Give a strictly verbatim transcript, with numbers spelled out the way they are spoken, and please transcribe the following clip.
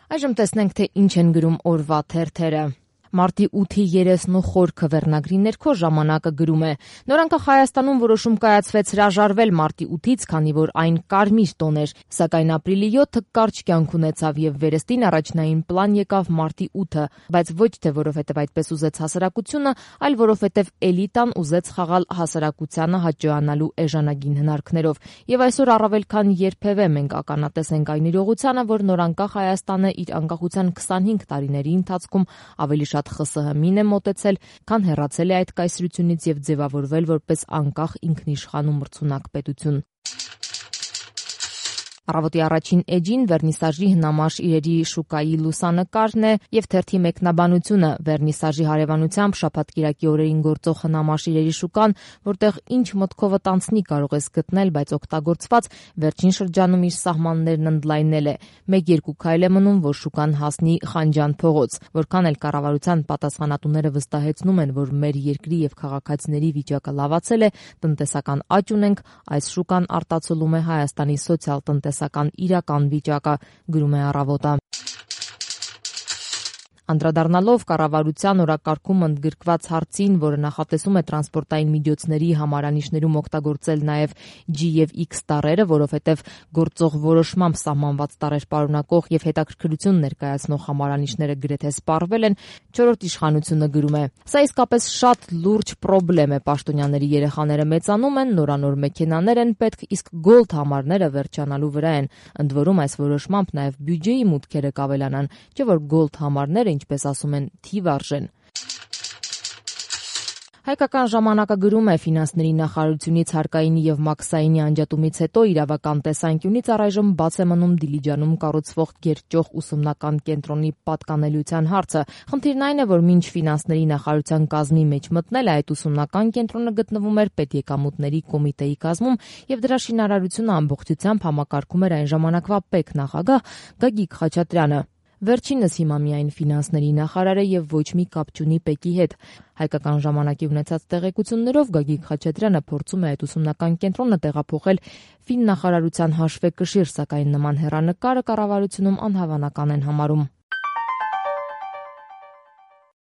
Այժմ տեսնենք, թե ինչ են գրում օրվա թերթերը։ Մարտի ութի երեսնու խորքը վերնագրի ներքո ժամանակը գրում է. Նորանկախ Հայաստանում որոշում կայացվեց հրաժարվել մարտի ութից, քանի որ այն կարմիր տոն էր, սակայն ապրիլի յոթը կարճ կյանք ունեցավ եւ վերստին առաջնային պլան եկավ մարտի ութը, բայց ոչ թե որովհետեւ այդպես ուզեց հասարակությունը, այլ որովհետեւ էլիտան ուզեց խաղալ հասարակությանը հաճոյանալու էժանագին հնարքներով։ Եվ այսօր առավել քան երբևէ մենք ականատես ենք այն իրողությանը, որ նորանկախ Հայաստանը իր անկախության քսանհինգ տարիների ընթացքում ավելի շատ ԽՍՀՄ-ին է մոտեցել, քան հեռացել է այդ կայսրությունից եւ ձևավորվել որպես անկախ ինքնիշխան ու մրցունակ պետություն։ Առավոտի առաջին էջին վերնիսաժի հնամաշ իրերի շուկայի լուսանկարն է եւ թերթի մեկնաբանությունը վերնիսաժի հարևանությամբ շաբաթ-կիրակի օրերին գործող հնամաշ իրերի շուկան, որտեղ ինչ մտքովդ անցնի կարող ես գտնել, բայց օգտագործված վերջին շրջանում իր սահմաններն ընդլայնել է։ Մեկ-երկու քայլ է մնում, որ շուկան հասնի Խանջան փողոց, որքան էլ կառավարության պատասխանատուները վստահեցնում են, որ մեր երկրի եւ քաղաքացիների վիճակը լավացել է, տնտեսական աճ ունենք, այս շուկան արտացոլում է Հայաստանի սոցիալ-տնտեսական իրական վիճակը, գրում է Առավոտը։ Անդրադառնալով կառավարության օրակարգում ընդգրկված հարցին, որը նախատեսում է տրանսպորտային միջոցների համարանիշներում օգտագործել նաև G եւ X տառերը, որովհետև գործող որոշմամբ սահմանված տառեր պարունակող եւ հետաքրքրություն ներկայացնող համարանիշները գրեթե սպառվել են, չորրորդ իշխանությունը գրում է. Սա իսկապես շատ լուրջ պրոբլեմ է, պաշտոնյաների երեխաները մեծանում են, նորանոր մեքենաներ են պետք, իսկ գոլդ համարները վերջանալու վրա են։ Ընդ որում այս որոշմամբ նաև բյուջեի մուտքերը կավելանան, չէ՞ որ գոլդ համարները, ինչպես ասում են, թիվարժեն։ Հայկական ժամանակը գրում է ֆինանսների նախարարությունից Հարկայինի եւ Մաքսայինի անջատումից հետո իրավական տեսանկյունից առայժմ բաց է մնում Դիլիջանում կառուցվող գերճոխ ուսումնական կենտրոնի պատկանելիության հարցը։ Խնդիրն այն է, որ մինչ ֆինանսների նախարարության կազմի մեջ մտնել այդ ուսումնական կենտրոնը գտնվում էր պետեկամուտների կոմիտեի կազմում եւ դրա շինարարությունը ամբողջությամբ համակարգում էր այն ժամանակվա պետնախագահ Գագիկ Խաչատրյանը։ Վերջինս հիմա միայն ֆինանսների նախարար է եւ ոչ մի կապ չունի ՊԵԿ-ի հետ։ Հայկական ժամանակի ունեցած տեղեկություններով Գագիկ Խաչատրյանը փորձում է այդ ուսումնական կենտրոնը տեղափոխել ֆիննախարարության հաշվեկշիռ, սակայն նման հեռանկարը կառավարությունում անհավանական են համարում։